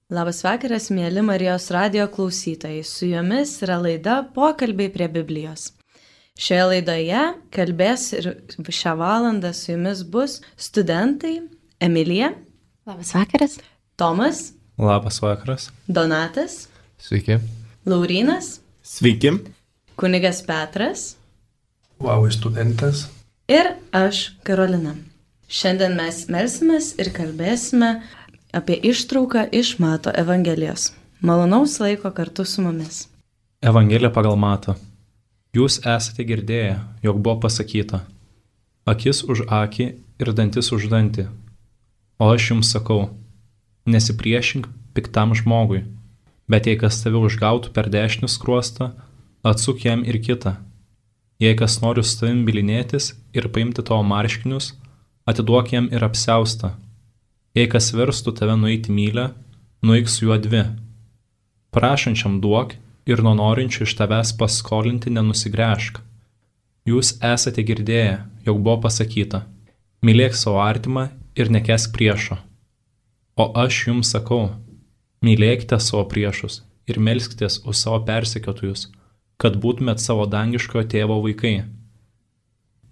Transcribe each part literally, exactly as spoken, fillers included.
Labas vakaras, mėly Marijos radijo klausytojai. Su jumis yra laida Pokalbiai prie Biblijos. Šioje laidoje kalbės ir šią valandą su jumis bus studentai Emilija. Labas vakaras. Tomas. Labas vakaras. Donatas. Sveiki. Laurynas. Sveiki. Kunigas Petras. Vau, studentas. Ir aš, Karolina. Šiandien mes melsimės ir kalbėsime apie ištrauką iš Mato Evangelijos. Malonaus laiko kartu su mumis. Evangelija pagal Matą. Jūs esate girdėję, jog buvo pasakyta: akis už akį ir dantis už dantį. O aš jums sakau, nesipriešink piktam žmogui, bet jei kas tave užgautų per dešinį skruostą, atsuk jam ir kitą. Jei kas nori su tavim bylinėtis ir paimti tavo marškinius, atiduok jam ir apsiaustą. Jei kas verstų tave nueiti mylę, nueik su juo dvi. Prašančiam duok ir nuo norinčių iš tavęs paskolinti nenusigręžk. Jūs esate girdėję, jog buvo pasakyta: mylėk savo artimą ir nekesk priešo. O aš jums sakau, mylėkite savo priešus ir melskitės už savo persekiotojus, kad būtumėt savo dangiškojo tėvo vaikai.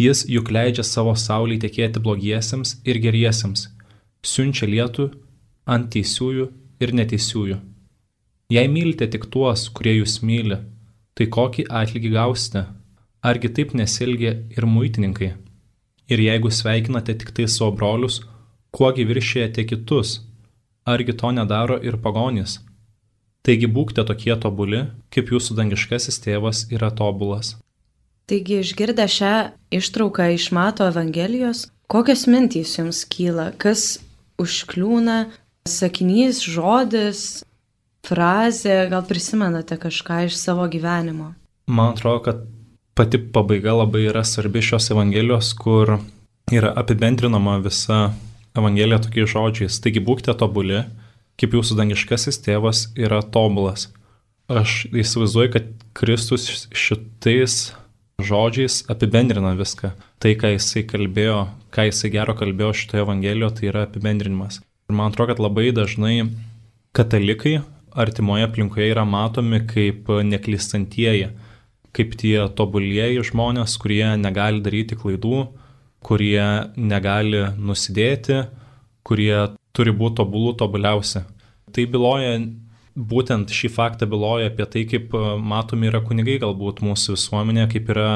Jis juk leidžia savo saulei tekėti blogiesiems ir geriesiems, siunčia lietų ant teisiųjų ir neteisiųjų. Jei mylite tik tuos, kurie jūs myli, tai kokį atlygį gausite? Argi taip nesielgia ir muitininkai? Ir jeigu sveikinate tik tai savo brolius, kuogi viršijate kitus? Argi to nedaro ir pagonys? Taigi būkite tokie tobuli, kaip jūsų dangiškasis tėvas yra tobulas. Taigi išgirdę šią ištrauką iš Mato Evangelijos, kokios mintys jums kyla? Kas užkliūna? Sakinys, žodis, frazė, gal prisimenate kažką iš savo gyvenimo? Man atrodo, kad pati pabaiga labai yra svarbi šios Evangelijos, kur yra apibendrinama visa Evangelija tokiais žodžiais. Taigi būkite tobuli, kaip jūsų dangiškasis tėvas yra tobulas. Aš įsivaizduoju, kad Kristus šitais žodžiais apibendrina viską. Tai, ką jisai kalbėjo, ką jisai gero kalbėjo šitoje Evangelijoje, tai yra apibendrinimas. Ir man atrodo, kad labai dažnai katalikai artimoje aplinkoje yra matomi kaip neklystantieji, kaip tie tobulieji žmonės, kurie negali daryti klaidų, kurie negali nusidėti, kurie turi būti tobulų tobuliausi. Tai byloja, būtent šį faktą byloja apie tai, kaip matomi yra kunigai galbūt mūsų visuomenė, kaip yra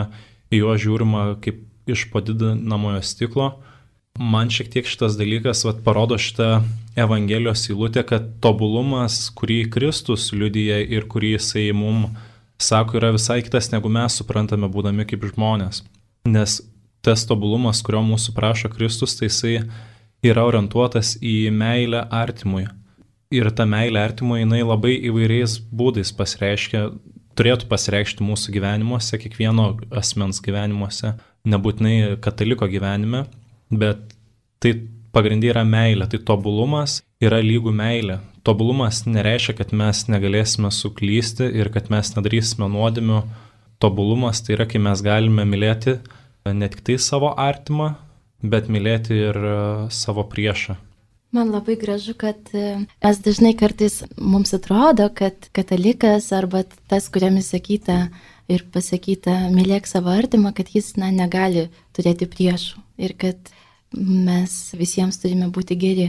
į juos žiūrima kaip iš padidinamojo stiklo. Man šiek tiek šitas dalykas vat, parodo šitą Evangelijos eilutę, kad tobulumas, kurį Kristus liudija ir kurį jisai mums sako, yra visai kitas, negu mes suprantame būdami kaip žmonės. Nes tas tobulumas, kurio mūsų prašo Kristus, tai jisai yra orientuotas į meilę artimui. Ir ta meilė artimui, jinai labai įvairiais būdais pasireiškia, turėtų pasireikšti mūsų gyvenimuose, kiekvieno asmens gyvenimuose, nebūtinai kataliko gyvenime, bet tai pagrindė yra meilė, tai tobulumas yra lygų meilė. Tobulumas nereiškia, kad mes negalėsime suklysti ir kad mes nedarysime nuodėmių. Tobulumas tai yra, kai mes galime mylėti ne tik tai savo artimą, bet mylėti ir savo priešą. Man labai gražu, kad mes dažnai kartais mums atrodo, kad katalikas arba tas, kuriam įsakyta ir pasakyta mylėk savo artimą, kad jis na, negali turėti priešų ir kad mes visiems turime būti geri.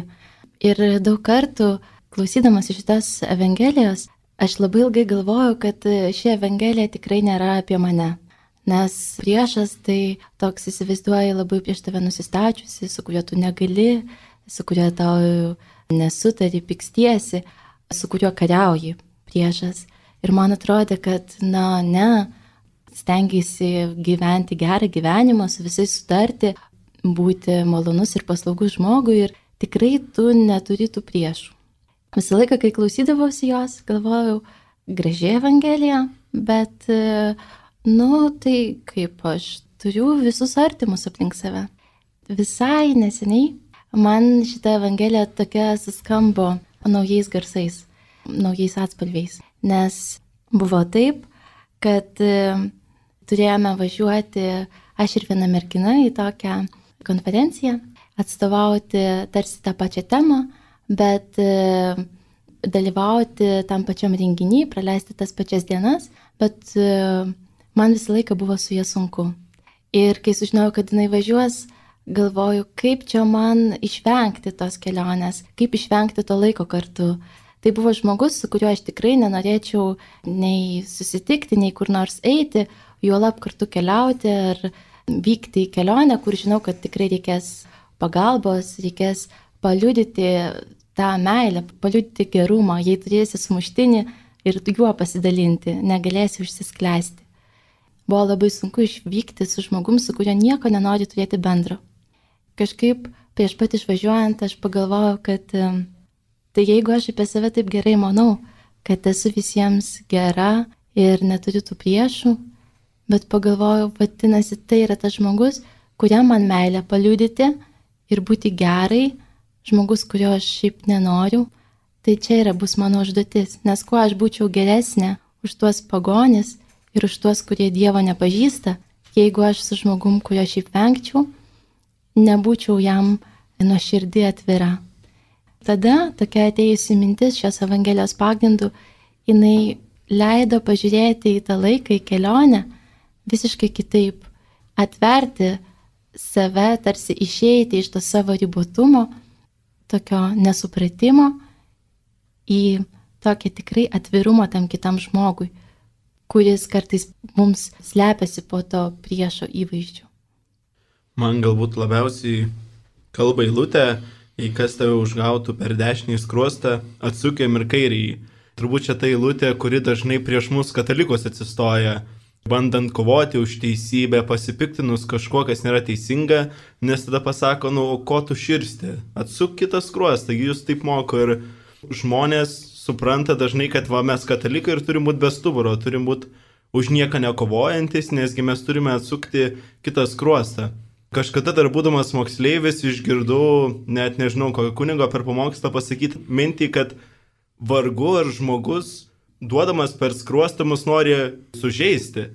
Ir daug kartų, klausydamas iš šitos Evangelijos, aš labai ilgai galvojau, kad ši Evangelija tikrai nėra apie mane. Nes priešas tai toks įsivaizduoja labai prieš tave nusistačiusi, su kuriuo tu negali, su kuriuo tau nesutari, pikstiesi, su kuriuo kariauji priešas. Ir man atrodė, kad na, ne, stengiasi gyventi gerą gyvenimą, su visais sutarti, būti malonus ir paslaugus žmogui ir tikrai tu neturi tų priešų. Visą laiką, kai klausydavausi jos, galvojau, graži Evangelija, bet, nu, tai kaip aš turiu visus artimus aplink save. Visai neseniai man šita Evangelija tokia suskambo naujais garsais, naujais atspalviais, nes buvo taip, kad turėjome važiuoti aš ir viena mergina į tokią konferenciją, atstovauti tarsi tą pačią temą, bet dalyvauti tam pačiam renginį, praleisti tas pačias dienas, bet man visą laiką buvo su ja sunku. Ir kai sužinojau, kad jinai važiuos, galvoju, kaip čia man išvengti tos kelionės, kaip išvengti to laiko kartu. Tai buvo žmogus, su kuriuo aš tikrai nenorėčiau nei susitikti, nei kur nors eiti, juolab kartu keliauti ar vykti į kelionę, kur žinau, kad tikrai reikės pagalbos, reikės paliudyti tą meilę, paliudyti gerumą, jei turėsi sumuštinį ir juo pasidalinti, negalėsi užsiskleisti. Buvo labai sunku išvykti su žmogum, su kuriuo nieko nenori turėti bendro. Kažkaip prieš pat išvažiuojant aš pagalvojau, kad tai jeigu aš apie save taip gerai manau, kad esu visiems gera ir neturiu tų priešų, bet pagalvojau, vadinasi, tai yra tas žmogus, kuriam man meilę paliudyti ir būti gerai, žmogus, kurio aš šiaip nenoriu, tai čia yra bus mano užduotis, nes kuo aš būčiau geresnė už tuos pagonis ir už tuos, kurie Dievo nepažįsta, jeigu aš su žmogum, kurio šiaip vengčiau, nebūčiau jam nuoširdį atvira. Tada tokia atėjusi mintis šios Evangelijos pagrindų, jinai leido pažiūrėti į tą laiką, į kelionę visiškai kitaip, atverti save, tarsi išeiti iš to savo ribotumo, tokio nesupratimo į tokį tikrai atvirumą tam kitam žmogui, kuris kartais mums slepiasi po to priešo įvaizdžiu. Man galbūt labiausiai kalba eilutė, jei kas tave užgautų per dešinį skruostą, atsukėm ir kairįjį. Turbūt čia ta eilutė, kuri dažnai prieš mus katalikus atsistoja, bandant kovoti už teisybę, pasipiktinus kažkuo, kas nėra teisinga, nes tada pasako, nu, ko tu širsti, atsuk kitą skruostą, jūs taip moko ir žmonės supranta dažnai, kad va, mes katalikai ir turim būti be stuburo, turim būti už nieką nekovojantis, nesgi mes turime atsukti kitą skruostą. Kažkada dar būdamas moksleivis išgirdau, net nežinau, kokio kunigo per pamokslą pasakyti mintį, kad vargu ar žmogus, duodamas per skruostą, mus nori sužeisti.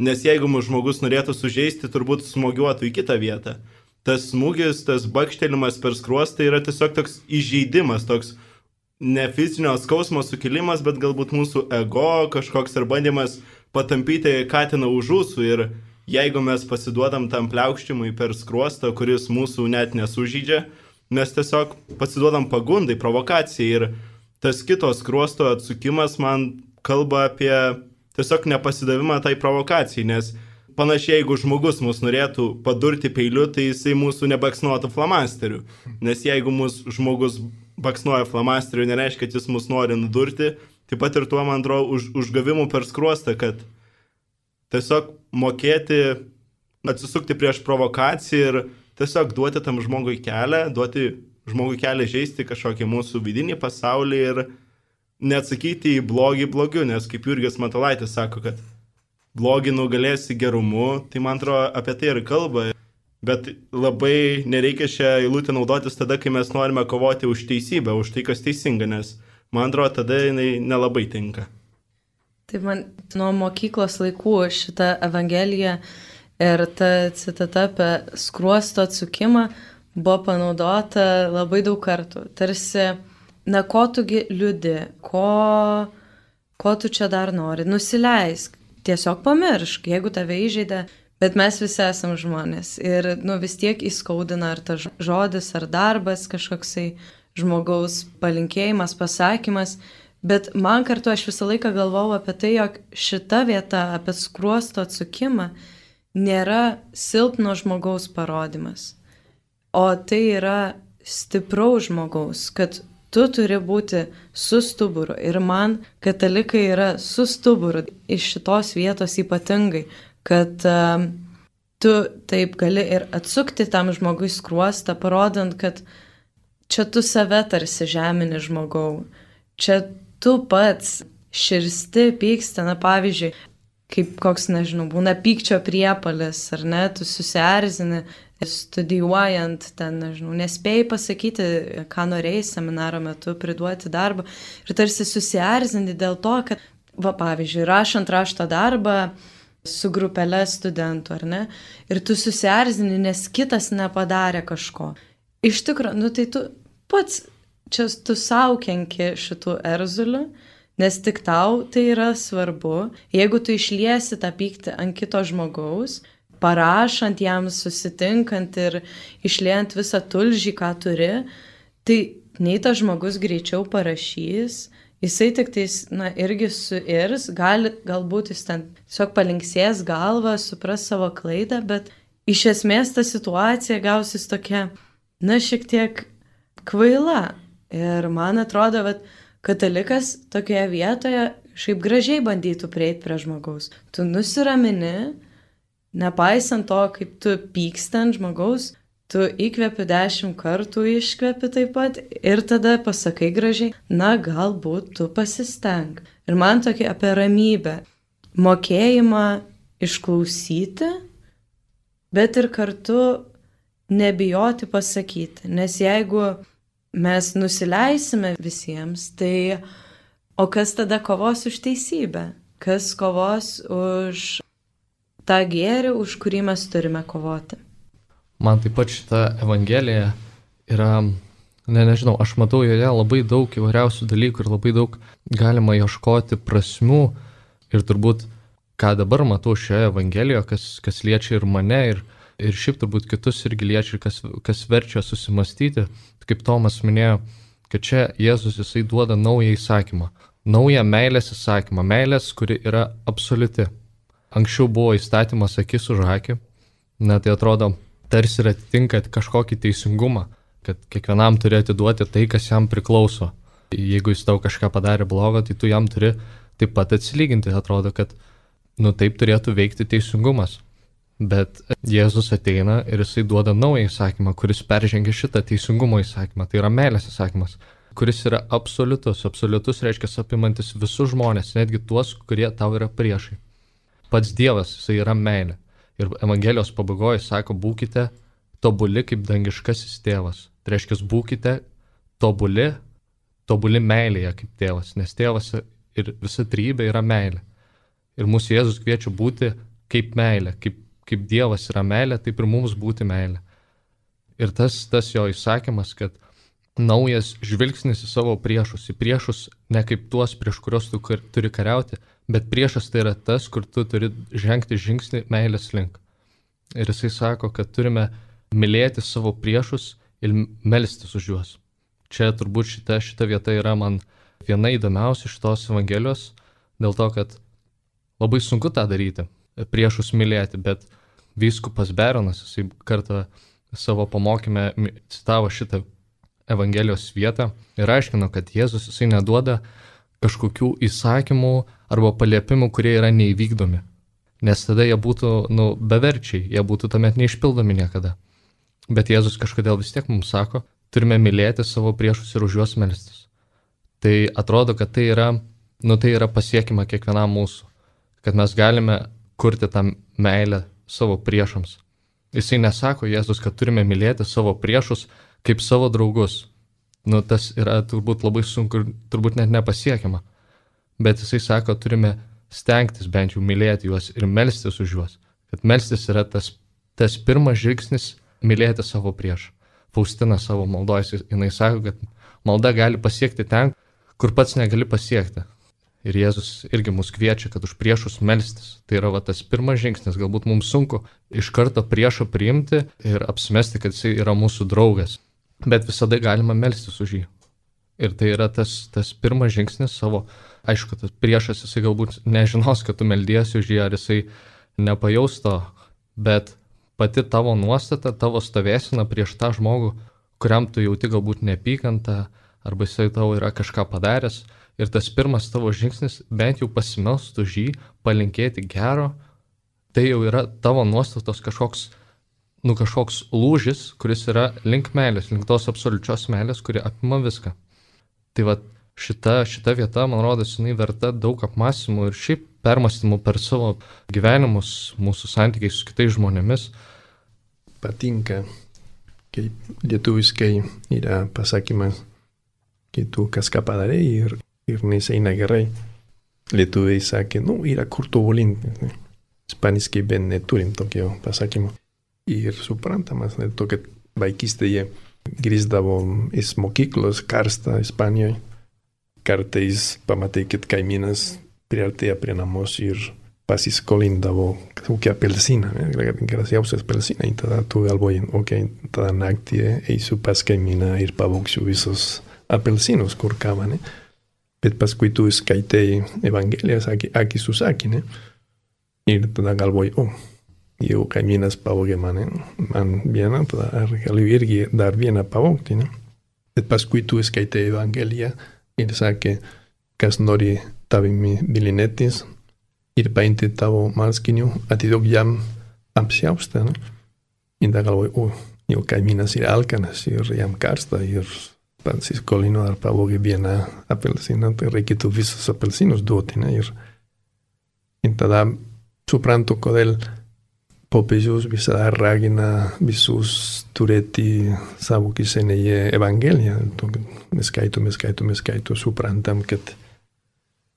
Nes jeigu mūsų žmogus norėtų sužeisti, turbūt smogiuotų į kitą vietą. Tas smūgis, tas bakštelimas per skruostą yra tiesiog toks įžeidimas, toks ne fizinio skausmo sukilimas, bet galbūt mūsų ego kažkoks ar bandymas patampyti katiną už ūsų. Ir jeigu mes pasiduodam tam pliaukštimui per skruostą, kuris mūsų net nesužydžia, mes tiesiog pasiduodam pagundai, provokacijai. Ir tas kitos skruosto atsukimas man kalba apie tiesiog nepasidavimą tai provokacijai, nes panašiai, jeigu žmogus mus norėtų padurti peiliu, tai jisai mūsų nebaksnuotų flamasteriu. Nes jeigu mūsų žmogus baksnuoja flamasteriu, nereiškia, kad jis mus nori nudurti, taip pat ir tuo, man atrodo, už, užgavimu per skruostą, kad tiesiog mokėti atsisukti prieš provokaciją ir tiesiog duoti tam žmogui kelią, duoti žmogui kelią žaisti kažkokį mūsų vidinį pasaulį ir neatsakyti į blogį blogiu, nes kaip Jurgis Matulaitis sako, kad blogį nugalėsi gerumu, tai man atrodo apie tai ir kalba. Bet labai nereikia šią eilutę naudotis tada, kai mes norime kovoti už teisybę, už tai, kas teisinga, nes man atrodo tada jinai nelabai tinka. Tai man nuo mokyklos laikų šita Evangelija ir ta citata apie skruosto atsukimą buvo panaudota labai daug kartų. Tarsi, na, ko tugi liūdi, ko, ko tu čia dar nori, nusileisk, tiesiog pamiršk, jeigu tave įžeidė, bet mes visi esam žmonės ir nu, vis tiek įskaudina ar tas žodis, ar darbas, kažkoksai žmogaus palinkėjimas, pasakymas, bet man kartu aš visą laiką galvojau apie tai, jog šita vieta apie skruosto atsukimą nėra silpno žmogaus parodymas, o tai yra stipraus žmogaus, kad tu turi būti su stuburu ir man katalikai yra su stuburu iš šitos vietos ypatingai, kad uh, tu taip gali ir atsukti tam žmogui skruostą, parodant, kad čia tu save tarsi žemini žmogau, čia tu pats širsti, pyksti, na pavyzdžiui, kaip koks, nežinau, būna pykčio priepalis, ar ne, tu susierzini, studijuojant, ten, nežinau, nespėjai pasakyti, ką norėjai seminaro metu, priduoti darbą ir tarsi susierzini dėl to, kad, va pavyzdžiui, rašant rašto darbą, su grupelė studentų, ar ne? Ir tu susierzini, nes kitas nepadarė kažko. Iš tikrųjų, nu tai tu pats čia tu sau kenki šitų erzulių, nes tik tau tai yra svarbu. Jeigu tu išliesi tą pyktį ant kito žmogaus, parašant jam, susitinkant ir išliejant visą tulžį, ką turi, tai nei tas žmogus greičiau parašys, jisai tik tais, na, irgi suirs, gali, galbūt jis ten tiesiog palinksės galvą, supras savo klaidą, bet iš esmės ta situacija gausis tokia, na, šiek tiek kvaila. Ir man atrodo, kad katalikas tokioje vietoje šiaip gražiai bandytų prieiti prie žmogaus. Tu nusiramini, nepaisant to, kaip tu pyksti ant žmogaus, tu įkvepi dešimt kartų, iškvepi taip pat ir tada pasakai gražiai, na, galbūt tu pasisteng. Ir man tokia apie ramybę, mokėjimą išklausyti, bet ir kartu nebijoti pasakyti. Nes jeigu mes nusileisime visiems, tai o kas tada kovos už teisybę? Kas kovos už tą gėrį, už kurį mes turime kovoti? Man taip pat šita evangelija yra, ne, nežinau, aš matau joje labai daug įvairiausių dalykų ir labai daug galima ieškoti prasmių. Ir turbūt, ką dabar matau šioje evangelijoje, kas, kas liečia ir mane, ir, ir šiaip turbūt kitus irgi liečia, kas, kas verčia susimastyti, kaip Tomas minėjo, kad čia Jėzus jisai duoda naują įsakymą, naują meilės įsakymą, meilės, kuri yra absoliuti. Anksčiau buvo įstatymas akis už akį, na tai atrodo, tarsi ir atitinka kažkokį teisingumą, kad kiekvienam turi atiduoti tai, kas jam priklauso. Jeigu jis tau kažką padarė blogo, tai tu jam turi taip pat atsilyginti. Atrodo, kad nu taip turėtų veikti teisingumas. Bet Jėzus ateina ir jisai duoda naują įsakymą, kuris peržengia šitą teisingumo įsakymą. Tai yra meilės įsakymas, kuris yra absoliutus. Absoliutus reiškia apimantis visus žmonės, netgi tuos, kurie tau yra priešai. Pats Dievas, jisai yra meilė. Ir Evangelijos pabaigoje sako, būkite tobuli kaip dangiškasis tėvas. Tai reiškia, būkite tobuli, tobuli meilėje kaip tėvas, nes tėvas ir visa trejybė yra meilė. Ir mūsų Jėzus kviečia būti kaip meilė, kaip, kaip Dievas yra meilė, taip ir mums būti meilė. Ir tas, tas jo įsakymas, kad naujas žvilgsnis į savo priešus, į priešus ne kaip tuos, prieš kurios tu kar, turi kariauti, bet priešas tai yra tas, kur tu turi žengti žingsnį meilės link. Ir jisai sako, kad turime mylėti savo priešus ir melstis už juos. Čia turbūt šita, šita vieta yra man viena įdomiausia šitos evangelijos, dėl to, kad labai sunku tą daryti, priešus mylėti, bet vyskupas Beronas, jisai kartą savo pamokyme citavo šitą evangelijos vietą ir aiškino, kad Jėzus jisai neduoda kažkokių įsakymų arba paliepimų, kurie yra neįvykdomi. Nes tada jie būtų nu, beverčiai, jie būtų tuomet neišpildomi niekada. Bet Jėzus kažkodėl vis tiek mums sako, turime mylėti savo priešus ir už juos melstis. Tai atrodo, kad tai yra, nu, tai yra pasiekima kiekvienam mūsų, kad mes galime kurti tą meilę savo priešams. Jisai nesako Jėzus, kad turime mylėti savo priešus kaip savo draugus. Nu, tas yra turbūt labai sunku ir turbūt net nepasiekiama. Bet jisai sako, turime stengtis bent jau mylėti juos ir melstis už juos. Kad melstis yra tas, tas pirmas žingsnis mylėti savo priešą. Faustina savo maldoje, jinai sako, kad malda gali pasiekti ten, kur pats negali pasiekti. Ir Jėzus irgi mus kviečia, kad už priešus melstis. Tai yra va, tas pirmas žingsnis. Galbūt mums sunku iš karto priešą priimti ir apsimesti, kad jisai yra mūsų draugas. Bet visada galima melstis už jį. Ir tai yra tas, tas pirmas žingsnis savo, aišku, tas priešas jisai galbūt nežinos, kad tu meldiesi už jį, ar jisai nepajaus to, bet pati tavo nuostata, tavo stovėsina prieš tą žmogų, kuriam tu jauti galbūt neapykantą, arba jisai tau yra kažką padaręs, ir tas pirmas tavo žingsnis, bent jau pasimelst už jį, palinkėti gero, tai jau yra tavo nuostatos kažkoks, nu kažkoks lūžis, kuris yra link meilės, link tos absoliučios meilės, kuri apima viską. Tai va šita, šita vieta, man rodos, jinai verta daug apmąstymų ir šiaip permąstymų per savo gyvenimus, mūsų santykiai su kitais žmonėmis. Patinka, kaip lietuviskai yra pasakymas, kai tu kažką padarai ir, ir neseina gerai. Lietuviai sakė, nu, yra kur tobulinti. Ispaniškai ben neturim tokio pasakymo. Ir suprantamas, dėl to, kad vaikystėje grįždavo iš mokyklos karstą Ispanijoje. Kartais pamatai, kad kaimynas priartėja prie namos ir pasiskolindavo kokį apelsiną, gražiausią apelsiną. Ir tada tu galvoji, okei, okay, tada naktį eisiu pas kaimyną ir pavogsiu visus apelsinus, kur kava, ne? Bet paskui tu skaitai Evangelijas akis su akį, ne? Ir tada galvoji, o, oh, jau kaimynas pavogė mane, man vieną, tada galiu irgi dar vieną pavogti, ne? Bet paskui tu skaitai Evangeliją ir sakė, kas nori tavimi bilinėtis ir paimti tavo marškinių, atiduok jam apsiaustą, ne? Ir tada galvoji, o, oh, jau kaimynas yra alkanas ir jam karsta ir pasiskolino ar pavogė vieną apelsiną, tai reikėtų visus apelsinus duoti, ne? Ir, ir tada suprantu, kodėl popiežius visada ragina visus turėti savo kišenėje Evangeliją. Mes skaitom, mes skaitom, mes skaitom, suprantam, kad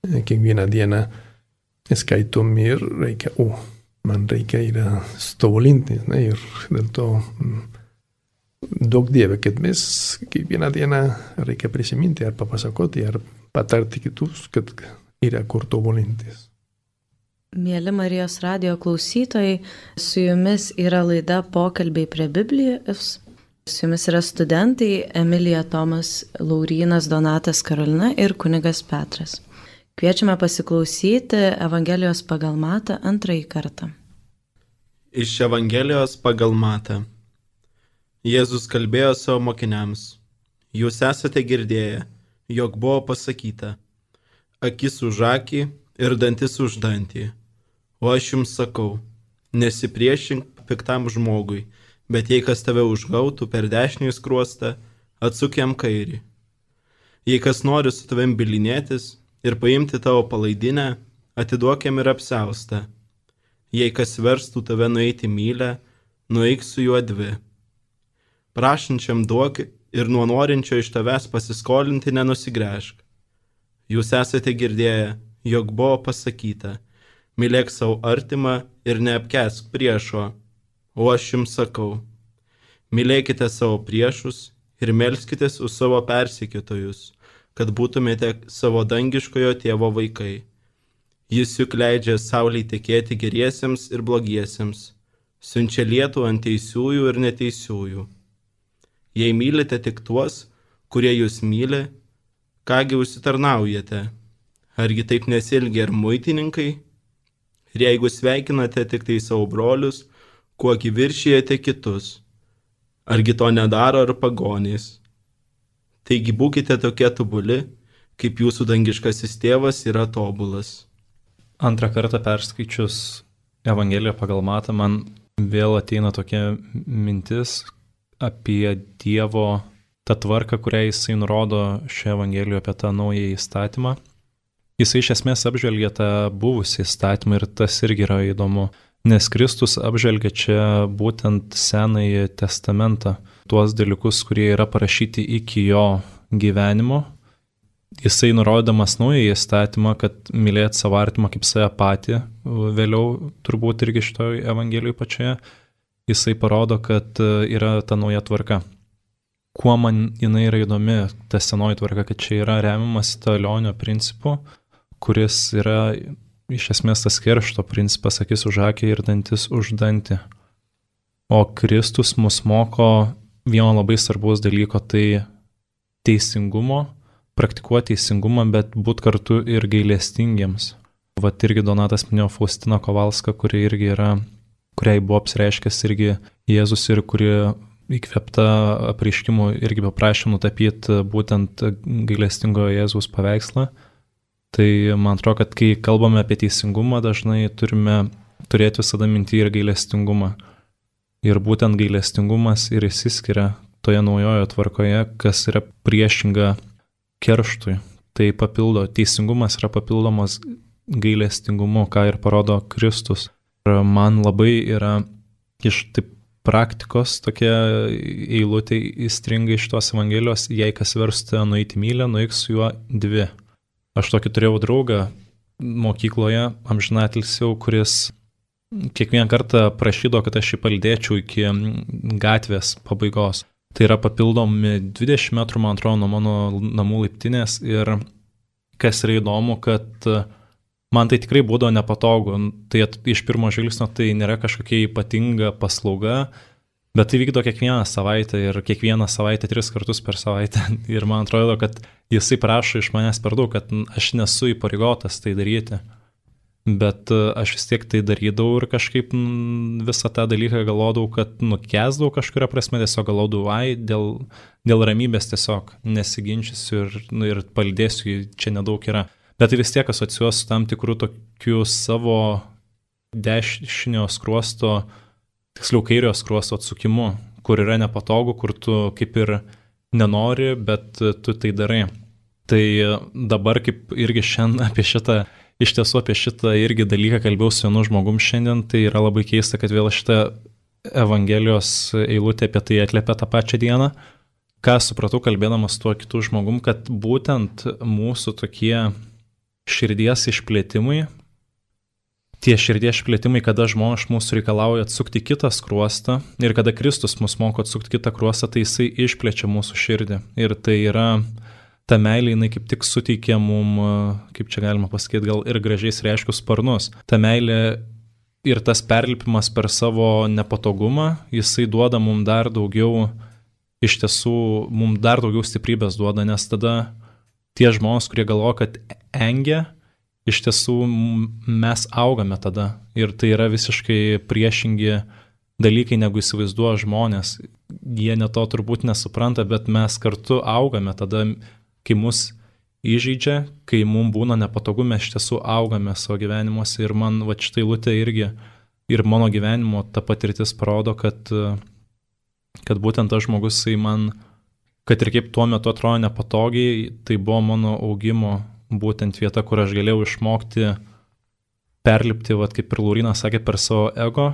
kiekvieną dieną skaitom ir reikia, o, oh, man reikia ir stovolinti, ne? Ir dėl to daug dieve, kad mes kiekvieną dieną reikia prisiminti ar papasakoti, ar patarti kitus, kad yra kur tobulintis. Mėly Marijos radijo klausytojai, su jumis yra laida Pokalbiai prie Biblijos. Su jumis yra studentai Emilija, Tomas, Laurynas, Donatas, Karolina ir kunigas Petras. Kviečiame pasiklausyti Evangelijos pagal Matą antrąjį kartą. Iš Evangelijos pagal Matą. Jėzus kalbėjo savo mokiniams. Jūs esate girdėję, jog buvo pasakyta, akis už akį ir dantis už dantį. O aš jums sakau, nesipriešink piktam žmogui, bet jei kas tave užgautų per dešinį skruostą, atsuk jam kairį. Jei kas nori su tavim bilinėtis ir paimti tavo palaidinę, atiduok jam ir apsiaustą. Jei kas verstų tave nueiti mylę, nueik su juo dvi. Prašančiam duok ir nuo norinčio iš tavęs pasiskolinti nenusigręžk. Jūs esate girdėję, jog buvo pasakyta, mylėk savo artimą ir neapkęsk priešo, o aš jums sakau, mylėkite savo priešus ir melskitės už savo persekiotojus, kad būtumėte savo dangiškojo tėvo vaikai. Jis juk leidžia saulei tekėti geriesiems ir blogiesiems, siunčia lietų ant teisiųjų ir neteisiųjų. Jei mylite tik tuos, kurie jūs myli, kągi užsitarnaujate? Argi taip nesielgia ir muitininkai? Ir jeigu sveikinate tik tai savo brolius, kuogi viršijate kitus? Argi to nedaro ir pagonys? Taigi būkite tokie tobuli, kaip jūsų dangiškasis tėvas yra tobulas. Antrą kartą perskaičius Evangeliją pagal Matą, man vėl ateina tokia mintis apie Dievo tą tvarką, kurią jisai nurodo šioje Evangelijoje apie tą naują įstatymą. Jisai iš esmės apžvelgia tą buvusį įstatymą ir tas irgi yra įdomu, nes Kristus apžvelgia čia būtent Senąjį testamentą, tuos dalykus, kurie yra parašyti iki jo gyvenimo. Jisai nurodamas naują įstatymą, kad mylėti savo artimą kaip save patį, vėliau turbūt irgi šitoje Evangelijoje pačioje, jisai parodo, kad yra ta nauja tvarka. Kuo man jinai yra įdomi, ta senoji tvarka, kad čia yra remiamas talionio principu, kuris yra iš esmės tas keršto principas, akis už akį ir dantis už dantį. O Kristus mus moko vieno labai svarbaus dalyko, tai teisingumo, praktikuoti teisingumą, bet būti kartu ir gailestingiems. Vat irgi Donatas minėjo Faustiną Kovalską, kuri irgi yra, kuriai buvo apsireiškęs irgi Jėzus ir kuri įkvėpta apreiškimų irgi paprašė nutapyti būtent gailestingojo Jėzaus paveikslą. Tai man atrodo, kad kai kalbame apie teisingumą, dažnai turime turėti visada mintį ir gailestingumą. Ir būtent gailestingumas ir išsiskiria toje naujojo tvarkoje, kas yra priešinga kerštui. Tai papildo, teisingumas yra papildomas gailestingumu, ką ir parodo Kristus. Ir man labai yra iš taip praktikos tokia eilutė įstringa iš tos Evangelijos, jei kas versta nueiti mylę, nueik su juo dvi. Aš tokį turėjau draugą mokykloje, amžinatilsiau, kuris kiekvieną kartą prašydavo, kad aš jį palydėčiau iki gatvės pabaigos. Tai yra papildomi dvidešimt metrų, man atrodo, nuo mano namų laiptinės ir kas yra įdomu, kad man tai tikrai būdavo nepatogu. Tai iš pirmo žvilgsnio tai nėra kažkokia ypatinga paslauga, bet tai vykdo kiekvieną savaitę ir kiekvieną savaitę tris kartus per savaitę. Ir man atrodo, kad jisai prašo iš manęs per daug, kad aš nesu įpareigotas tai daryti. Bet aš vis tiek tai darydavau ir kažkaip visą tą dalyką galvodavau, kad nukesdavau kažkuria prasme, tiesiog galvodavau, ai, dėl, dėl ramybės tiesiog nesiginčysiu ir, nu, ir palydėsiu, čia nedaug yra. Bet tai vis tiek asociuos su tam tikrų tokių savo dešinio skruosto, tiksliau kairio skruosto atsukimu, kur yra nepatogu, kur tu kaip ir nenori, bet tu tai darai. Tai dabar kaip irgi šiandien apie šitą Iš tiesų apie šitą irgi dalyką kalbėjau su vienu žmogum šiandien, tai yra labai keista, kad vėl šitą Evangelijos eilutę apie tai atliepia tą pačią dieną. Ką supratau kalbėdamas tuo kitų žmogum, kad būtent mūsų tokie širdies išplėtimai, tie širdies išplėtimai, kada žmonės mūsų reikalauja atsukti kitą skruostą ir kada Kristus mus moko atsukti kitą skruostą, tai jisai išplečia mūsų širdį. Ir tai yra ta meilė, jinai kaip tik suteikia mum, kaip čia galima pasakyti, gal ir gražiais reiškius sparnus. Ta meilė ir tas perlipimas per savo nepatogumą, jisai duoda mum dar daugiau, iš tiesų, mum dar daugiau stiprybės duoda, nes tada tie žmonės, kurie galvoja, kad engia, iš tiesų mes augame tada. Ir tai yra visiškai priešingi dalykai, negu įsivaizduoja žmonės. Jie ne to turbūt nesupranta, bet mes kartu augame tada, kai mus įžeidžia, kai mums būna nepatogu, mes iš tiesų augame savo gyvenimuose ir man va štai eilutė irgi ir mano gyvenimo ta patirtis parodo, kad, kad būtent tas žmogus, jisai man, kad ir kaip tuo metu atrodo nepatogiai, tai buvo mano augimo būtent vieta, kur aš galėjau išmokti perlipti, va, kaip ir Laurynas sakė, per savo ego,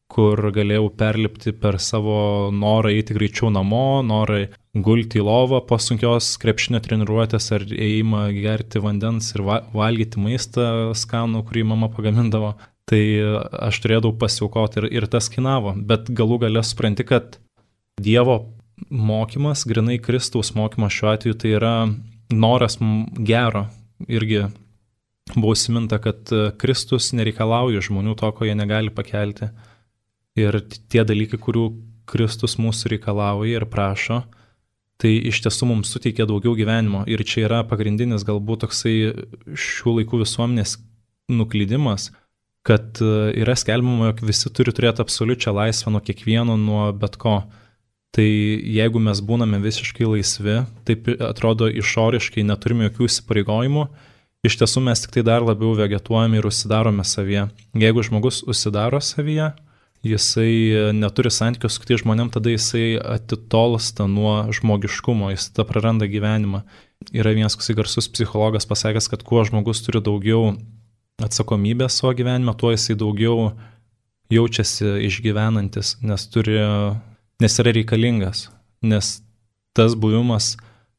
kur galėjau perlipti per savo norą eiti greičiau namo, norą gulti į lovą po sunkios krepšinio treniruotės ar ėjimą gerti vandens ir valgyti maistą skanų, kurį mama pagamindavo. Tai aš turėdavau pasiaukoti ir, ir tas kainavo. Bet galų gale supranti, kad Dievo mokymas, grinai Kristaus mokymas šiuo atveju, tai yra noras gero. Irgi buvo užsiminta, kad Kristus nereikalauja žmonių to, ko jie negali pakelti. Ir tie dalykai, kurių Kristus mūsų reikalauja ir prašo, tai iš tiesų mums suteikia daugiau gyvenimo. Ir čia yra pagrindinis galbūt toksai šių laikų visuomenės nuklydimas, kad yra skelbiama, jog visi turi turėti absoliučią laisvę nuo kiekvieno, nuo bet ko. Tai jeigu mes būname visiškai laisvi, taip atrodo išoriškai neturime jokių įsipareigojimų, iš tiesų mes tik tai dar labiau vegetuojame ir užsidarome savyje. Jeigu žmogus užsidaro savyje, jisai neturi santykių su kitais žmonėm, tada jisai atitolsta nuo žmogiškumo, jis tada praranda gyvenimą. Yra vienas garsus psichologas pasakęs, kad kuo žmogus turi daugiau atsakomybės savo gyvenime, tuo jisai daugiau jaučiasi išgyvenantis, nes, turi, nes yra reikalingas, nes tas buvimas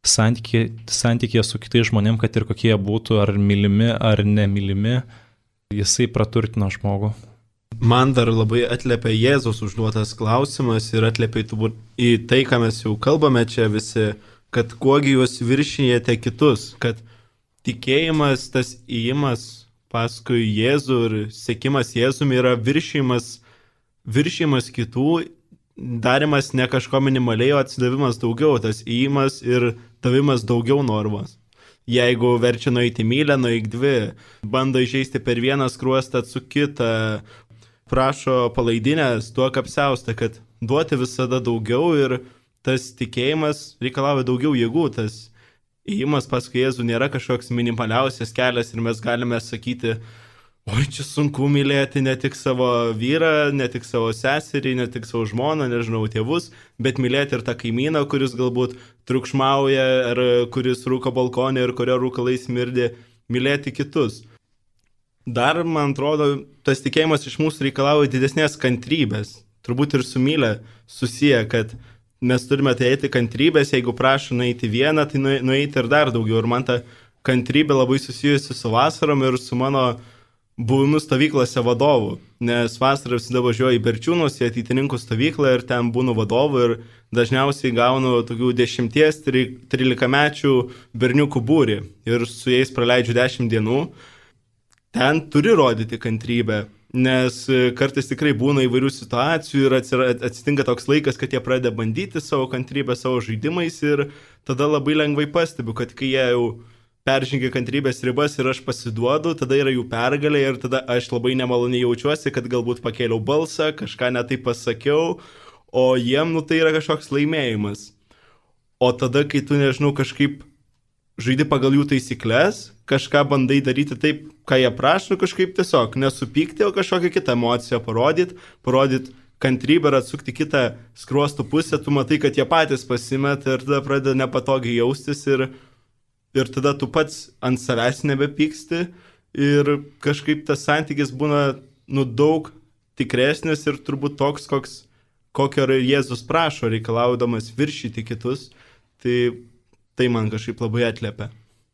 santykė, santykėje su kitais žmonėm, kad ir kokie būtų, ar mylimi, ar nemylimi, jisai praturtina žmogų. Man dar labai atliepia Jėzus užduotas klausimas ir atliepia į tai, ką mes jau kalbame čia visi, kad kuogi jūs viršijate kitus, kad tikėjimas, tas įėjimas paskui Jėzų ir sekimas Jėzumi yra viršijimas, viršijimas kitų, darimas ne kažko minimaliai, o atsidavimas daugiau, tas įėjimas ir davimas daugiau normos. Jeigu verčia nueiti mylę, nueik dvi, bando išeisti per vieną skruostą su kitą, prašo palaidinės, duok apsiaustą, kad duoti visada daugiau ir tas tikėjimas reikalauja daugiau jėgų, tas įėjimas paskui Jėzų nėra kažkoks minimaliausias kelias ir mes galime sakyti, oi, čia sunku mylėti ne tik savo vyrą, ne tik savo seserį, ne tik savo žmoną, nežinau, tėvus, bet mylėti ir tą kaimyną, kuris galbūt triukšmauja, ar kuris rūko balkonė ir kurio rūkalai smirdi, mylėti kitus. Dar, man atrodo, tas tikėjimas iš mūsų reikalauja didesnės kantrybės. Turbūt ir su mylė susiję, kad mes turime turėti kantrybės, jeigu prašo nueiti vieną, tai nueiti ir dar daugiau. Ir man ta kantrybė labai susijusi su vasarom ir su mano buvimu stovyklose vadovų, nes vasarą visada važiuoju į Berčiūnus, į ateitininkų stovyklą ir ten būnu vadovu ir dažniausiai gaunu tokių dešimties, trylikamečių berniukų būrį ir su jais praleidžiu dešimt dienų. Ten turi rodyti kantrybę, nes kartais tikrai būna įvairių situacijų ir atsitinka toks laikas, kad jie pradeda bandyti savo kantrybę savo žaidimais ir tada labai lengvai pastebiu, kad kai jie jau peržengia kantrybės ribas ir aš pasiduodu, tada yra jų pergalė ir tada aš labai nemaloniai jaučiuosi, kad galbūt pakėliau balsą, kažką netai pasakiau, o jiem, nu, tai yra kažkoks laimėjimas. O tada, kai tu, nežinau, kažkaip žaidi pagal jų taisyklės, kažką bandai daryti taip, ką jie prašo, kažkaip tiesiog nesupykti, o kažkokią kitą emociją parodyti, parodyti kantrybę ir atsukti kitą skruostų pusę, tu matai, kad jie patys pasimeta ir tada pradeda nepatogiai jaustis ir, ir tada tu pats ant savęs nebepyksti ir kažkaip tas santykis būna, nu, daug tikresnis ir turbūt toks, koks, kokio Jėzus prašo, reikalaudamas viršyti kitus, tai tai man kažkaip labai atliepia.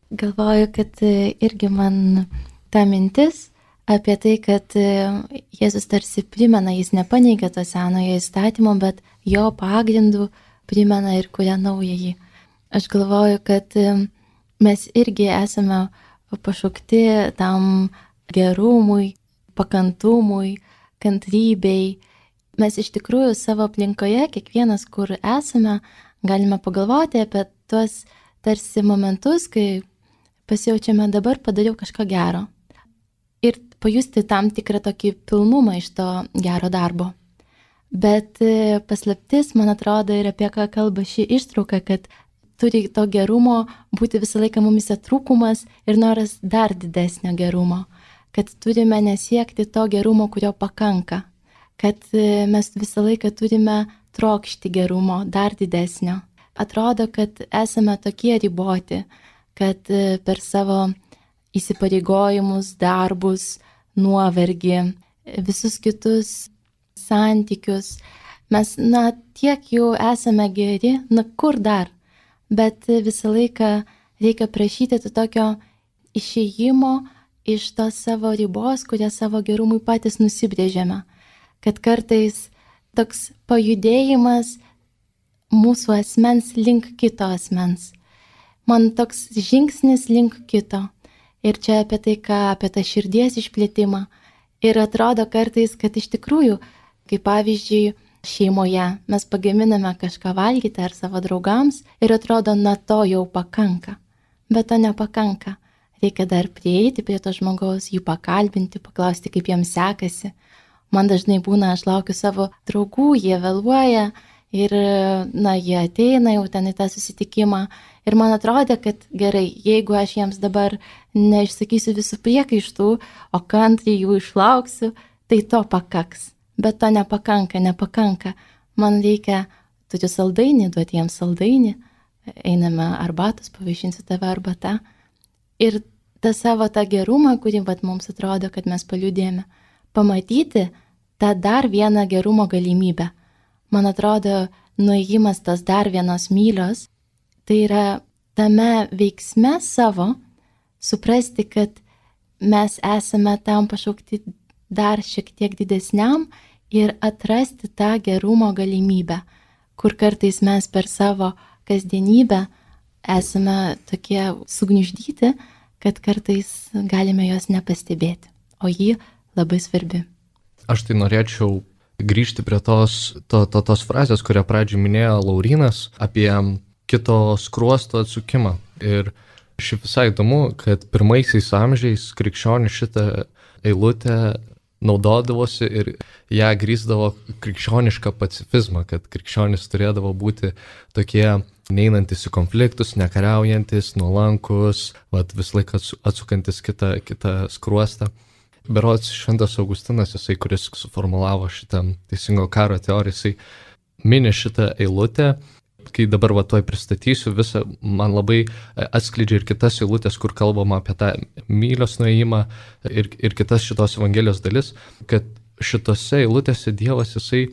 Galvoju, kad irgi man ta mintis apie tai, kad Jėzus tarsi primena, jis nepaneigia to senojo įstatymo, bet jo pagrindų primena ir kuria naująjį. Aš galvoju, kad mes irgi esame pašaukti tam gerumui, pakantumui, kantrybei. Mes iš tikrųjų savo aplinkoje, kiekvienas, kur esame, galime pagalvoti apie tuos tarsi momentus, kai pasijaučiame dabar padariau kažką gero. Ir pajusti tam tikrą tokį pilnumą iš to gero darbo. Bet paslaptis, man atrodo, ir apie ką kalba ši ištrauka, kad turi to gerumo būti visą laiką mumise trūkumas ir noras dar didesnio gerumo. Kad turime nesiekti to gerumo, kurio pakanka. Kad mes visą laiką turime trokšti gerumo, dar didesnio. Atrodo, kad esame tokie riboti, kad per savo įsipareigojimus, darbus, nuovargį, visus kitus santykius, mes, na, tiek jau esame geri, na, kur dar, bet visą laiką reikia prašyti to tokio išėjimo iš tos savo ribos, kurią savo gerumui patys nusibrėžėme, kad kartais toks pajudėjimas mūsų asmens link kito asmens. Man toks žingsnis link kito. Ir čia apie tai, ką apie tą širdies išplėtimą. Ir atrodo kartais, kad iš tikrųjų, kaip pavyzdžiui, šeimoje mes pagaminame kažką valgyti ar savo draugams ir atrodo, na to jau pakanka. Bet to nepakanka. Reikia dar prieiti prie to žmogaus, jų pakalbinti, paklausti, kaip jiems sekasi. Man dažnai būna, aš laukiu savo draugų, jie vėluoja. Ir, na, jie ateina jau ten į tą susitikimą ir man atrodo, kad gerai, jeigu aš jiems dabar neišsakysiu visų priekaištų, o kantriai jų išlauksiu, tai to pakaks. Bet to nepakanka, nepakanka. Man reikia, turiu saldainį, duoti jiems saldainį, einame arbatos, pavaišinsiu tave arbata. Ir tą savo tą gerumą, kurį vat, mums atrodo, kad mes paliudėjome, pamatyti tą dar vieną gerumo galimybę. Man atrodo, nuėjimas tas dar vienos mylios, tai yra tame veiksme savo suprasti, kad mes esame tam pašaukti dar šiek tiek didesniam ir atrasti tą gerumo galimybę, kur kartais mes per savo kasdienybę esame tokie sugniuždyti, kad kartais galime jos nepastebėti, o ji labai svarbi. Aš tai norėčiau grįžti prie tos, to, to, tos frazės, kurią pradžioj minėjo Laurynas, apie kito skruosto atsukimą. Ir šiaip visai įdomu, kad pirmaisiais amžiais krikščionis šitą eilutę naudodavosi ir ją grįsdavo krikščionišką pacifizmą, kad krikščionis turėdavo būti tokie neinantis į konfliktus, nekariaujantis, nuolankus, vat, vis laiką atsukantis kitą, kitą skruostą. Berods Šventas Augustinas, jisai, kuris suformulavo šitą teisingo karo teoriją, jisai mini šitą eilutę, kai dabar va tuoj pristatysiu visą, man labai atskleidžia ir kitas eilutės, kur kalbama apie tą mylios nuėjimą ir, ir kitas šitos evangelijos dalis, kad šitose eilutėse Dievas jisai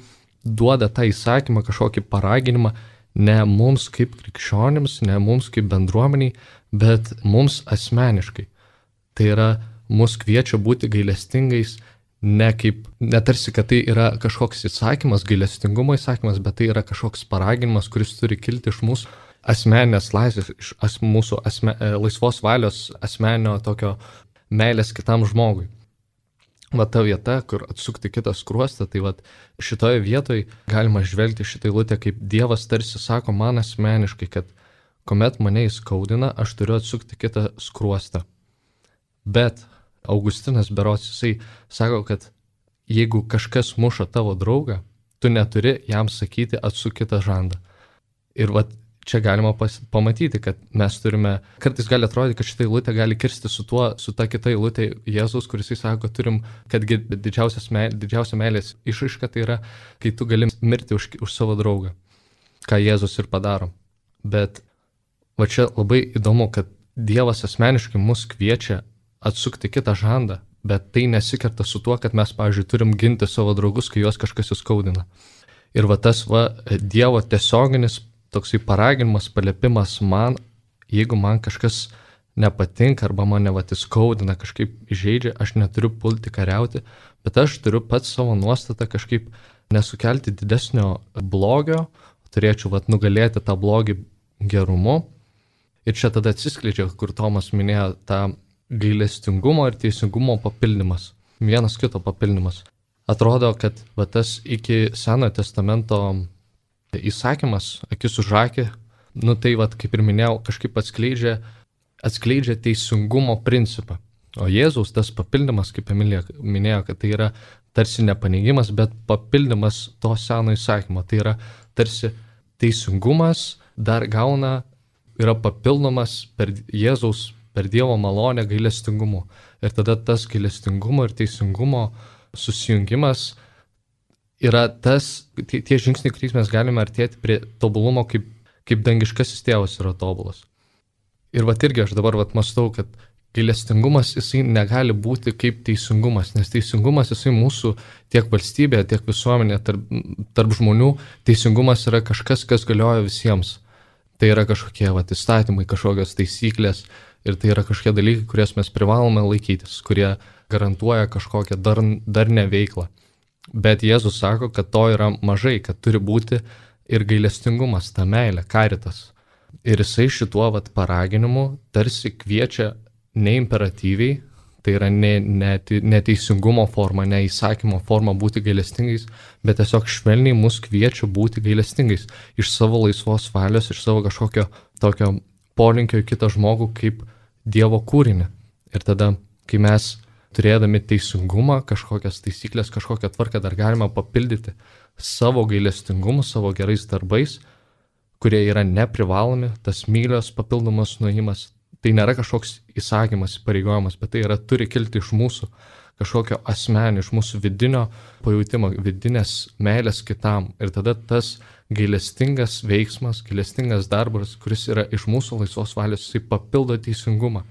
duoda tą įsakymą, kažkokį paraginimą ne mums kaip krikščionims, ne mums kaip bendruomeniai, bet mums asmeniškai. Tai yra mus kviečia būti gailestingais, ne kaip, netarsi, kad tai yra kažkoks įsakymas, gailestingumo įsakymas, bet tai yra kažkoks paraginimas, kuris turi kilti iš mūsų asmeninės laisvės, iš as, mūsų asme, laisvos valios asmeninio tokio meilės kitam žmogui. Va ta vieta, kur atsukti kitą skruostą, tai va šitoje vietoje galima žvelgti šitą eilutę, kaip Dievas tarsi sako man asmeniškai, kad kuomet mane įskaudina, aš turiu atsukti kitą skruostą. Bet Augustinas berods, jisai sako, kad jeigu kažkas muša tavo draugą, tu neturi jam sakyti atsuk kitą žandą. Ir va čia galima pas, pamatyti, kad mes turime, kartais gali atrodyti, kad šitą eilutę gali kirsti su tuo, su ta kita eilutė Jėzus, kuris jis sako, turim, kad didžiausia meilės išraiška tai yra, kai tu gali mirti už, už savo draugą, ką Jėzus ir padaro. Bet va čia labai įdomu, kad Dievas asmeniškai mus kviečia atsukti kitą žandą, bet tai nesikerta su tuo, kad mes, pavyzdžiui, turim ginti savo draugus, kai juos kažkas įskaudina. Ir va tas va Dievo tiesioginis toksai paraginimas, paliepimas man, jeigu man kažkas nepatinka arba mane vat įskaudina, kažkaip įžeidžia, aš neturiu pulti kariauti, bet aš turiu pats savo nuostatą kažkaip nesukelti didesnio blogio, turėčiau vat nugalėti tą blogį gerumu. Ir čia tada atsiskleidžia, kur Tomas minėjo tą gailestingumo ir teisingumo papildymas, vienas kito papildymas. Atrodo, kad va tas iki Senojo testamento įsakymas, akis už akį, nu tai vat, kaip ir minėjau, kažkaip atskleidžia, atskleidžia teisingumo principą. O Jėzaus tas papildymas, kaip Emilija minėjo, kad tai yra tarsi nepaneigimas, bet papildymas to seno įsakymo. Tai yra tarsi teisingumas dar gauna, yra papildomas per Jėzaus, per Dievo malonę gailestingumu. Ir tada tas gailestingumo ir teisingumo susijungimas yra tas, tie, tie žingsniai, kuriais mes galime artėti prie tobulumo, kaip, kaip dangiškasis tėvas yra tobulas. Ir vat irgi aš dabar vat mąstau, kad gailestingumas jisai negali būti kaip teisingumas, nes teisingumas jisai mūsų tiek valstybėje, tiek visuomenėje, tarp, tarp žmonių, teisingumas yra kažkas, kas galioja visiems. Tai yra kažkokie vat įstatymai, kažkokios taisyklės ir tai yra kažkokie dalykai, kurias mes privalome laikytis, kurie garantuoja kažkokią dar, darnę veiklą. Bet Jėzus sako, kad to yra mažai, kad turi būti ir gailestingumas, ta meilė, karitas. Ir jisai šituo vat paraginimu tarsi kviečia ne imperatyviai, tai yra ne, ne, ne teisingumo forma, ne įsakymo forma būti gailestingais, bet tiesiog švelniai mus kviečia būti gailestingais iš savo laisvos valios, iš savo kažkokio tokio polinkio į kitą žmogų kaip Dievo kūrinį. Ir tada, kai mes turėdami teisingumą, kažkokias taisyklės, kažkokią tvarką dar galima papildyti savo gailestingumu, savo gerais darbais, kurie yra neprivalomi, tas mylios papildomas nuėjimas. Tai nėra kažkoks įsakymas, įpareigojimas, bet tai yra turi kilti iš mūsų kažkokio asmenio, iš mūsų vidinio pajūtimo, vidinės meilės kitam. Ir tada tas gailestingas veiksmas, gailestingas darbas, kuris yra iš mūsų laisvos valios, jisai papildo teisingumą.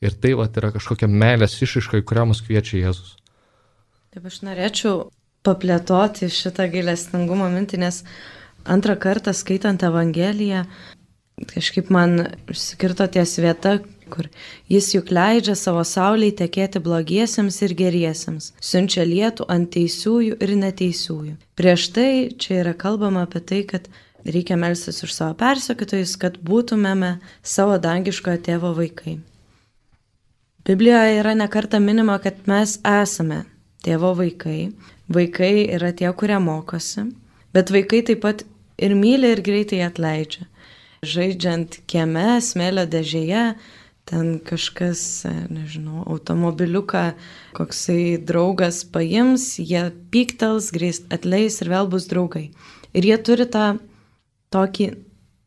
Ir tai vat yra kažkokia meilės išraiška, į kurią mus kviečia Jėzus. Taip, aš norėčiau paplėtoti šitą gailestingumo mintį, nes antrą kartą skaitant Evangeliją, kažkaip man išsikirto ties vieta, kur jis juk leidžia savo saulei tekėti blogiesiems ir geriesiems, siunčia lietų ant teisiųjų ir neteisiųjų. Prieš tai čia yra kalbama apie tai, kad reikia melstis už savo persekiotojus, kad būtumėme savo dangiškojo tėvo vaikai. Biblijoje yra nekarta minima, kad mes esame tėvo vaikai. Vaikai yra tie, kurie mokosi, bet vaikai taip pat ir myli ir greitai atleidžia. Žaidžiant kieme, smėlio dėžėje, ten kažkas, nežinau, automobiliuką, koksai draugas paims, jie pyktels, greit atleis ir vėl bus draugai. Ir jie turi tą tokį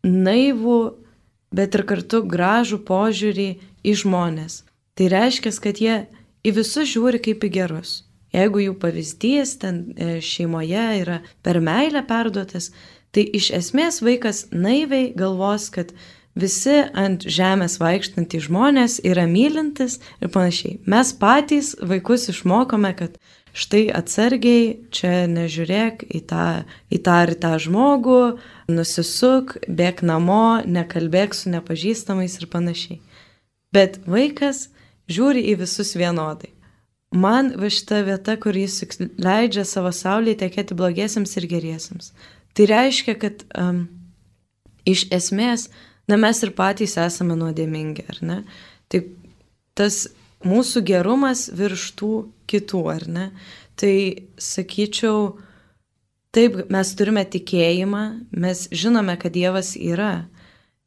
naivų, bet ir kartu gražų požiūrį į žmonės. Tai reiškia, kad jie į visus žiūri kaip į gerus. Jeigu jų pavyzdys ten šeimoje yra per meilę perduotas, tai iš esmės vaikas naiviai galvos, kad visi ant žemės vaikštantys žmonės yra mylintis ir panašiai. Mes patys vaikus išmokome, kad štai atsargiai, čia nežiūrėk į tą, į tą ar tą žmogų, nusisuk, bėk namo, nekalbėk su nepažįstamais ir panašiai. Bet vaikas žiūri į visus vienodai. Man va šita vieta, kur jis leidžia savo saulėje tekėti blogiesiams ir geriesiams. Tai reiškia, kad um, iš esmės, na mes ir patys esame nuodėmingi, ar ne? Tai tas mūsų gerumas virš tų kitų, ar ne? Tai sakyčiau, taip, mes turime tikėjimą, mes žinome, kad Dievas yra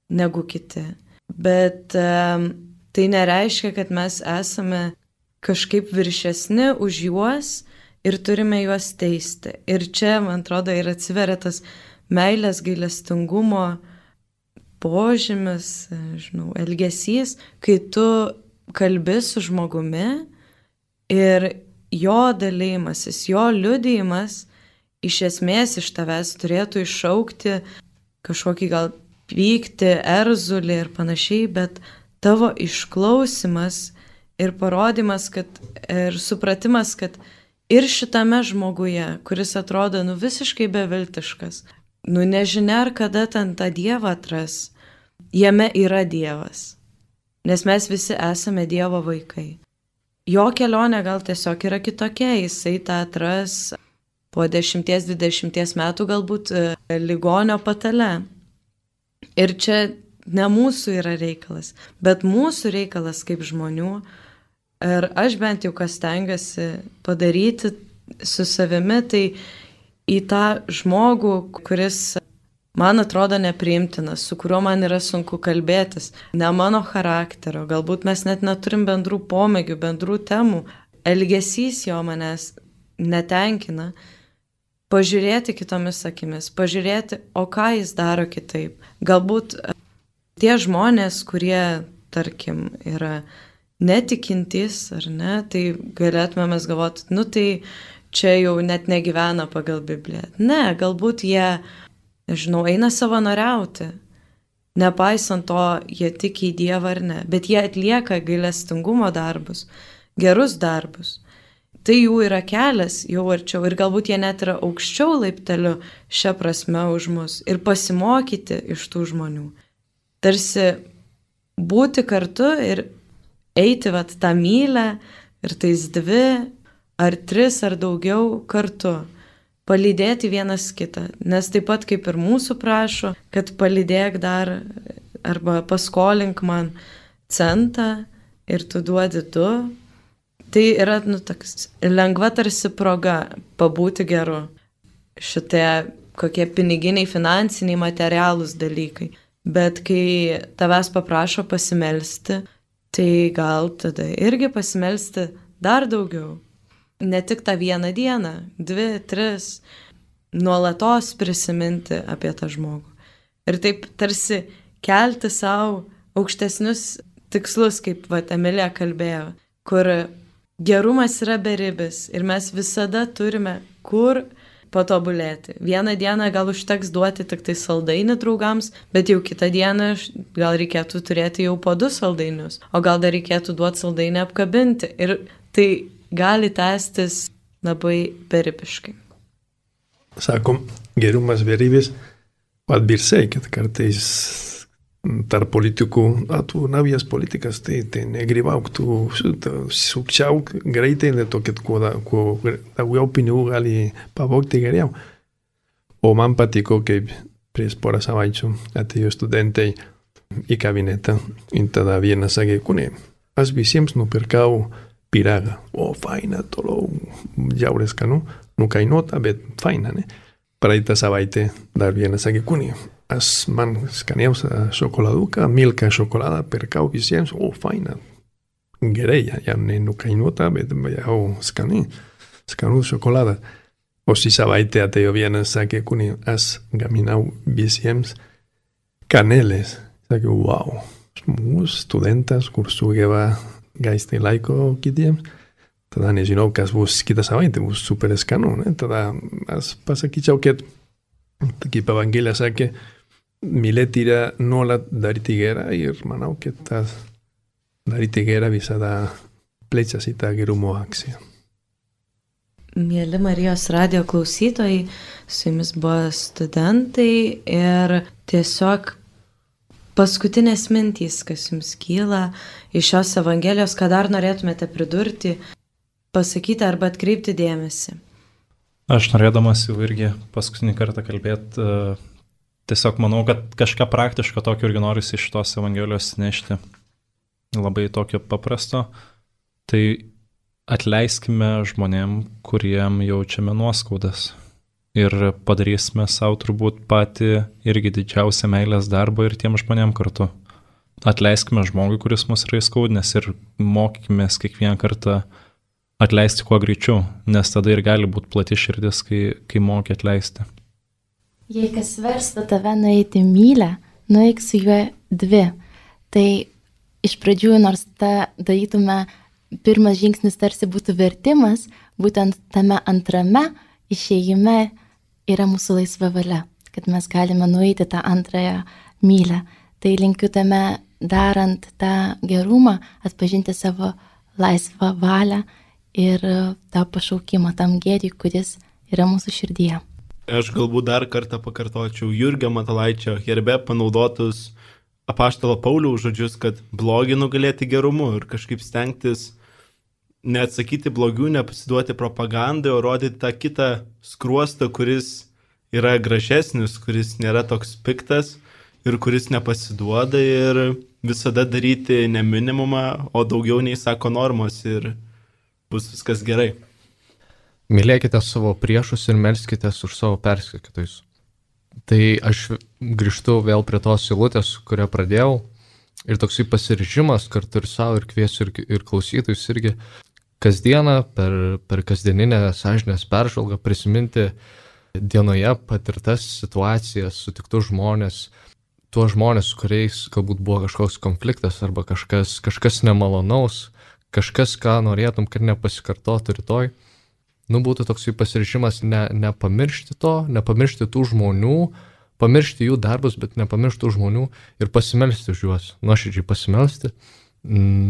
negu kiti, bet um, tai nereiškia, kad mes esame kažkaip viršesni už juos ir turime juos teisti. Ir čia, man atrodo, ir atsiveria tas meilės gailestingumo požymis, žinau, elgesys, kai tu kalbi su žmogumi ir jo dalymasis, jo liudijimas iš esmės iš tavęs turėtų iššaukti kažkokį gal pyktį, erzulį ir panašiai, bet tavo išklausimas ir parodymas, kad, ir supratimas, kad ir šitame žmoguje, kuris atrodo nu, visiškai beviltiškas, nu nežinia, ar kada ten tą Dievą atras, jame yra Dievas, nes mes visi esame Dievo vaikai. Jo kelionė gal tiesiog yra kitokia, jisai tą atras po dešimties dvidešimties metų galbūt ligonio patale. Ir čia ne mūsų yra reikalas, bet mūsų reikalas kaip žmonių. Ir aš bent jau kas stengiuosi padaryti su savimi, tai į tą žmogų, kuris man atrodo nepriimtinas, su kuriuo man yra sunku kalbėtis, ne mano charakterio, galbūt mes net neturim bendrų pomėgių, bendrų temų, elgesys jo manęs netenkina, pažiūrėti kitomis akimis, pažiūrėti, o ką jis daro kitaip. Galbūt tie žmonės, kurie, tarkim, yra netikintys, ar ne, tai galėtume mes galvoti, nu tai čia jau net negyvena pagal Bibliją. Ne, galbūt jie, nežinau, eina savanoriauti, nepaisant to, jie tiki į Dievą ar ne, bet jie atlieka gailestingumo darbus, gerus darbus. Tai jų yra kelias jau arčiau ir galbūt jie net yra aukščiau laipteliu šią prasme už mus ir pasimokyti iš tų žmonių. Tarsi būti kartu ir eiti vat tą mylę ir tais dvi ar tris ar daugiau kartu, palydėti vienas kitą, nes taip pat kaip ir mūsų prašo, kad palydėk dar arba paskolink man centą ir tu duodi du, tai yra nu, toks, lengva tarsi proga pabūti geru. Šitie kokie piniginiai, finansiniai, materialūs dalykai. Bet kai tavęs paprašo pasimelsti, tai gal tada irgi pasimelsti dar daugiau. Ne tik tą vieną dieną, dvi, tris, nuolatos prisiminti apie tą žmogų. Ir taip tarsi kelti savo aukštesnius tikslus, kaip va, Emilija kalbėjo, kur gerumas yra beribis ir mes visada turime kur patobulėti. Vieną dieną gal užteks duoti tik tai saldainį draugams, bet jau kitą dieną gal reikėtų turėti jau po du saldainius, o gal dar reikėtų duoti saldainį apkabinti. Ir tai gali tęstis labai beribiškai. Sakom, gerumas beribis, atbirsai, kad kartais tarp politikų, a, tu naujas politikas, tai, tai negrybauk, tu sukčiauk greitai, dėl to, kad kuo, kuo daugiau pinigų gali pavogti geriau. O man patiko, kaip prieš porą savaičių atėjo studentai į kabinetą ir tada vienas sakė, kune, aš visiems nupirkau pyragą. O, faina, toliau, jaures skanu, nukainuota, bet faina, ne? Praeitą savaitę dar vienas sakė, kune, aš man skaniausią šokoladuką, milką šokoladą pirkau visiems, o faina, gerai, ja ne nukainuota, bet jau skani, skanų šokoladą. O šį savaitę atėjo vienas, sakė, kune, aš gaminau visiems kanelės. Sakė, wow, žmogus, studentas, kur sugeba gaisti laiko kitiems. Tada nežinau, kas bus kitą savaitę, bus super skanu, ne? Tada aš pasakyčiau, kad kaip Evangelija sakė, mylėti yra nuolat daryti gerą ir manau, kad tas daryti gerą visada plečiasi tą gerumo akciją. Mėly Marijos radijo klausytojai, su jumis buvo studentai ir tiesiog paskutinės mintys, kas jums kyla iš šios Evangelijos, ką dar norėtumėte pridurti, pasakyti arba atkreipti dėmesį. Aš norėdamas jau irgi paskutinį kartą kalbėti, tiesiog manau, kad kažką praktiško tokio irgi norisi iš tos Evangelijos nešti. Labai tokio paprasto. Tai atleiskime žmonėm, kuriem jaučiame nuoskaudas. Ir padarysime savo turbūt patį irgi didžiausią meilės darbą ir tiem žmonėm kartu. Atleiskime žmogui, kuris mus yra įskaudinęs ir mokykime kiekvieną kartą atleisti kuo greičiau, nes tada ir gali būti plati širdis, kai, kai moki atleisti. Jei kas verstų tave nueiti mylę, nueik su juo dvi. Tai iš pradžių, nors tą darytume, pirmas žingsnis tarsi būtų vertimas, būtent tame antrame išėjime yra mūsų laisva valia, kad mes galime nueiti tą antrąją mylę. Tai linkiu tame darant tą gerumą, atpažinti savo laisvą valią ir tą pašaukimą tam gėriui, kuris yra mūsų širdyje. Aš galbūt dar kartą pakartočiau Jurgio Matulaičio herbe panaudotus apaštalo Pauliaus žodžius, kad blogį nugalėti gerumu ir kažkaip stengtis neatsakyti blogių, nepasiduoti propagandai, o rodyti tą kitą skruostą, kuris yra gražesnis, kuris nėra toks piktas ir kuris nepasiduoda ir visada daryti ne minimumą, o daugiau nei sako normos ir bus viskas gerai. Mylėkite savo priešus ir melskitės už savo persekiotojus. Tai aš grįžtu vėl prie tos eilutės, kurią pradėjau. Ir toksai pasiryžimas kartu ir savo, ir kviesiu, ir, ir klausytojus irgi kasdieną per, per kasdieninę sąžinės peržvalgą prisiminti dienoje patirtas situacijas, sutiktus žmonės, tuos žmonės, su kuriais galbūt buvo kažkoks konfliktas arba kažkas, kažkas nemalonaus, kažkas, ką norėtum, kad nepasikartotų rytoj. Nu, būtų toksai pasiryžimas ne, nepamiršti to, nepamiršti tų žmonių, pamiršti jų darbus, bet nepamiršti tų žmonių ir pasimelsti už juos, nuoširdžiai pasimelsti.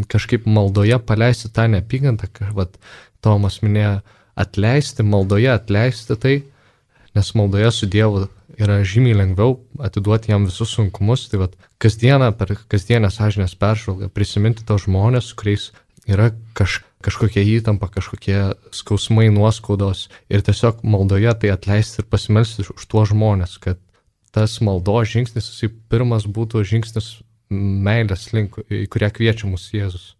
Kažkaip maldoje paleisti tą neapykantą, kad Tomas minėjo atleisti, maldoje atleisti tai, nes maldoje su Dievu yra žymiai lengviau atiduoti jam visus sunkumus, tai vat, kasdieną per kasdienę sąžinės peržvalgą prisiminti tos žmonės, kuriais yra kaž, kažkokia įtampa, kažkokie skausmai, nuoskaudos ir tiesiog maldoje tai atleisti ir pasimelsti už tuos žmonės, kad tas maldos žingsnis, jisai pirmas būtų žingsnis meilės link, į kurią kviečia mus Jėzus.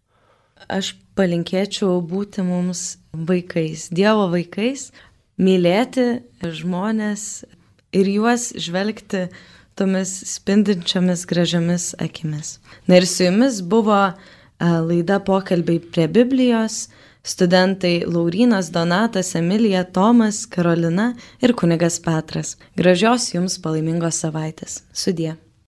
Aš palinkėčiau būti mums vaikais, Dievo vaikais, mylėti žmonės ir juos žvelgti tomis spindinčiomis gražiomis akimis. Na ir su jumis buvo laida Pokalbiai prie Biblijos, studentai Laurynas, Donatas, Emilija, Tomas, Karolina ir kunigas Petras. Gražios jums palaimingos savaitės. Sudie.